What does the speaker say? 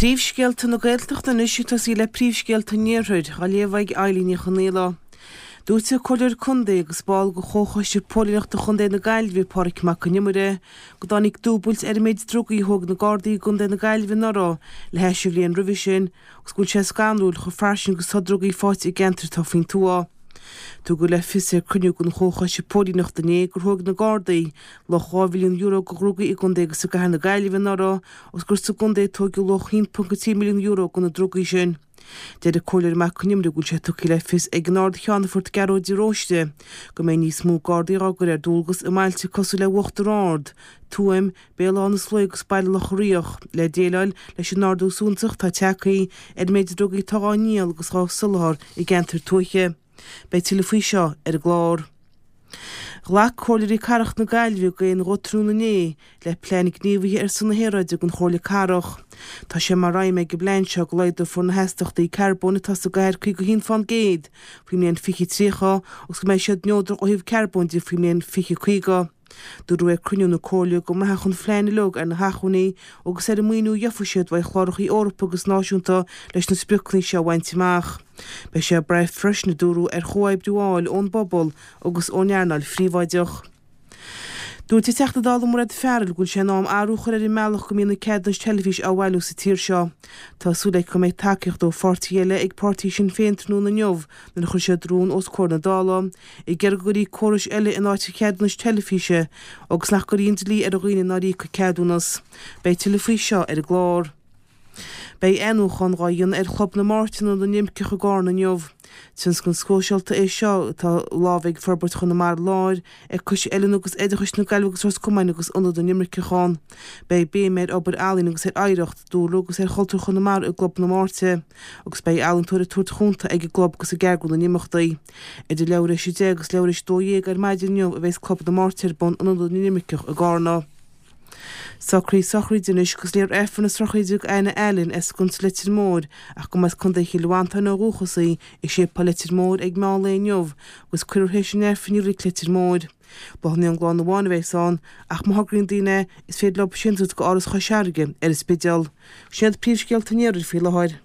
Príomhscéalta na Gaeltachta anois ag tosaí le príomhscéalta an Iarthair, á léamh ag Eilín Ní Chonaola. Dúirt an Comhairleoir Contae agus ball de Chomhchoiste Póilíneachta Chontae na Gaillimhe, Pádraig Mac Con Iomaire, go dtáinig dúbailt ar an méid drugaí a thóg na Gardaí i gContae na Gaillimhe anuraidh le hais an bhliain roimhe sin agus go bhfuil sé scanrúil chomh fairsing agus atá drugaí faighte i gceantair atá faoin tuath. Tugadh le fios ar cruinniú den Chomhchoiste Póilíneachta inné gur thóg na Gardaí luach €2 mhilliún de dhrugaí i gcontae agus i gcathair na Gaillimhe anuraidh agus gur sa gcontae a tóigeadh luach €1.3 milliún de na drugaí sin. Deir an Comhairleoir Mac Con Iomaire go bhfuil sé tugtha le fios ag an Ard-Cheannfort Gearóid de Róiste go mbeidh níos mó Gardaí á gcur ar dualgas i mbailte cosúil le Uachtar Ard, Tuaim, Béal Átha na Sluaighe agus Baile Locha Riach le déileáil leis an ardú suntasach atá tagtha ar an méid drugaí atá á ndíol agus á soláthar i gceantair tuaithe. Beidh tuilleadh faoi seo ar an gclár. Ghlac Comhairleoirí Cathrach na Gaillimhe d'aon ghuth tráthnóna inné le Plean Gníomhaithe ar son na hAeráide don Chomhairle Cathrach. Tá sé mar aidhm ag an bplean seo go laghdófar na hastaíochtaí carbóin atá sa gcathair 51 fán gcéad faoin mbliain 2030 agus go mbeidh siad neodrach ó thaobh carbóin de faoin mbliain 2050. Dúradh ag cruinniú na Comhairle go mbraithfeadh an phlean uilig ar na hacmhainní agus ar an maoiniú a gheofaidh siad uaidh chlárachaí Eorpacha agus náisiúnta leis na spriocanna seo a bhaint amach. Beidh sé ag brath freisin, a dúradh, ar chomhoibriú a fháil ón bpobal agus ón earnáil phríobháideach. Dúirt an Teachta Dála Mairéad Farrell go bhfuil sé in am athrú a chur ar an mbealach go mbíonn na ceadúnais teilifíse á bhailiú sa tír seo. Tá súil aici go mbeidh tacaíocht ó pháirtithe eile ag páirtí Shinn Féin tráthnóna inniu nuair a chuirfidh siad rún os comhair na Dála ag iarraidh go gcuirfí córais eile in áit an cheadúnais teilifíse agus nach gcuirfí an dlí ar dhaoine nár íoc an ceadúnas. Beidh tuilleadh faoi seo ar an gclár. Beidh athnuachan dhá dhéanamh ar Chlub na Máirt in Ionad na nImirceach i gCarna inniu. Tionscnamh sóisialta é seo atá lámh ag Forbairt Chonamara Láir, ag Coiste Oiliúna agus Oideachais na Gaillimhe agus Ros Comáin agus Ionad na nImirceach ann. Beidh béim ar obair ealaíon agus ar oidhreacht, dúlra agus ar chultúr Chonamara i gClub na Máirte agus beidh ealaíontóir ag tabhairt chunta ag an gclub agus ag eagrú na n-imeachtaí. Idir leathuair théis 10 agus leathuair théis 12 ar maidin inniu a bheas Club na Máirte ar bun in Ionad na nImirceach i gCarna. Socruithe sochraide anois agus léifear Aifreann na sochraide d'Anna Allen as Sconsa Leitir Móir ach go mba as Contae Chill Mhantáin ó dhúchas í i Séipéal Leitir Móir ag meán lae inniu agus cuirfear théis an Aifrinn i Reilig Leitir Móir. Bláthanna ón gclann amháin a bheas ann ach má thograíonn daoine is féidir leo síntiús go Áras Chois Fharraige ar an Spidéal. Sin iad príomhscéalta an Iarthair faoi láthair.